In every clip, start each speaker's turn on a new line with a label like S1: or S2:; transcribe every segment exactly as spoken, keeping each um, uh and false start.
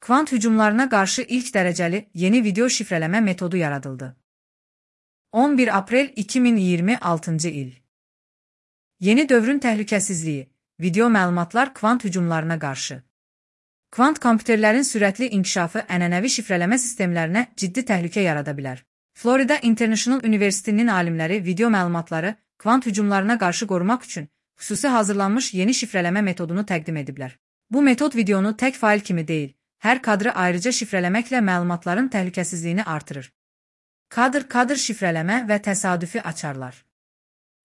S1: Kvant hücumlarına qarşı ilk dərəcəli yeni video şifrələmə metodu yaradıldı. on bir aprel iki min iyirmi altıncı il. Yeni dövrün təhlükəsizliyi, video məlumatlar kvant hücumlarına qarşı. Kvant kompüterlərin sürətli inkişafı ənənəvi şifrələmə sistemlərinə ciddi təhlükə yarada bilər. Florida International University'nin alimləri video məlumatları kvant hücumlarına qarşı qorumaq üçün xüsusi hazırlanmış yeni şifrələmə metodunu təqdim ediblər. Bu metod videonu tək fail kimi deyil, hər kadrı ayrıca şifrələməklə məlumatların təhlükəsizliyini artırır. Kadr-kadr şifrələmə və təsadüfi açarlar.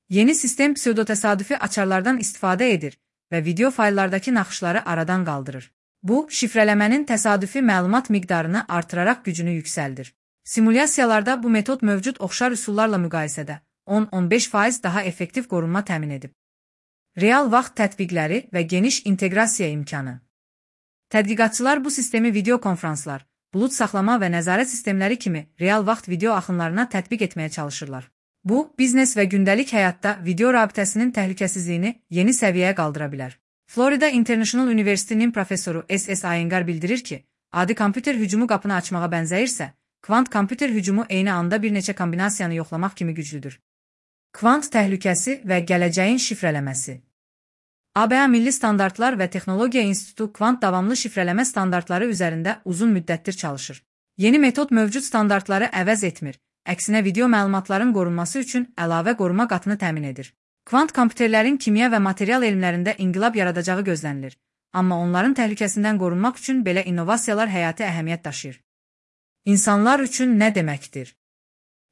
S1: Yeni sistem pseudotəsadüfi açarlardan istifadə edir və video fayllardakı naxışları aradan qaldırır. Bu, şifrələmənin təsadüfi məlumat miqdarını artıraraq gücünü yüksəldir. Simulyasiyalarda bu metod mövcud oxşar üsullarla müqayisədə on on beş faiz daha effektiv qorunma təmin edib. Real vaxt tətbiqləri və geniş inteqrasiya imkanı. Tədqiqatçılar bu sistemi video konfranslar, bulut saxlama və nəzarət sistemləri kimi real vaxt video axınlarına tətbiq etməyə çalışırlar. Bu, biznes və gündəlik həyatda video rabitəsinin təhlükəsizliyini yeni səviyyəyə qaldıra bilər. Florida International University'nin professoru S S Iyengar bildirir ki, adi kompüter hücumu qapını açmağa bənzəyirsə, kvant kompüter hücumu eyni anda bir neçə kombinasiyanı yoxlamaq kimi güclüdür. Kvant təhlükəsi və gələcəyin şifrələməsi. A B A Milli Standartlar və Texnologiya İnstitutu kvant davamlı şifrələmə standartları üzərində uzun müddətdir çalışır. Yeni metod mövcud standartları əvəz etmir, əksinə video məlumatların qorunması üçün əlavə qoruma qatını təmin edir. Kvant kompüterlərin kimya və material elmlərində inqilab yaradacağı gözlənilir, amma onların təhlükəsindən qorunmaq üçün belə innovasiyalar həyati əhəmiyyət daşıyır. İnsanlar üçün nə deməkdir?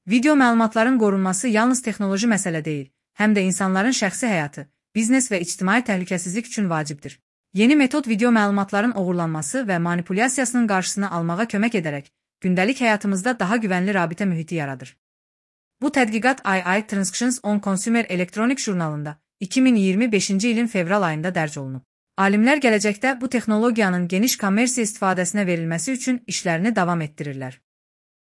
S1: Video məlumatların qorunması yalnız texnoloji məsələ deyil, həm də insanların şəxsi həyatı, biznes və ictimai təhlükəsizlik üçün vacibdir. Yeni metod video məlumatların oğurlanması və manipulyasiyasının qarşısını almağa kömək edərək, gündəlik həyatımızda daha güvənli rabitə mühiti yaradır. Bu tədqiqat I I Transactions on Consumer Electronic jurnalında iki min iyirmi beşinci ilin fevral ayında dərc olunub. Alimlər gələcəkdə bu texnologiyanın geniş kommersiya istifadəsinə verilməsi üçün işlərini davam etdirirlər.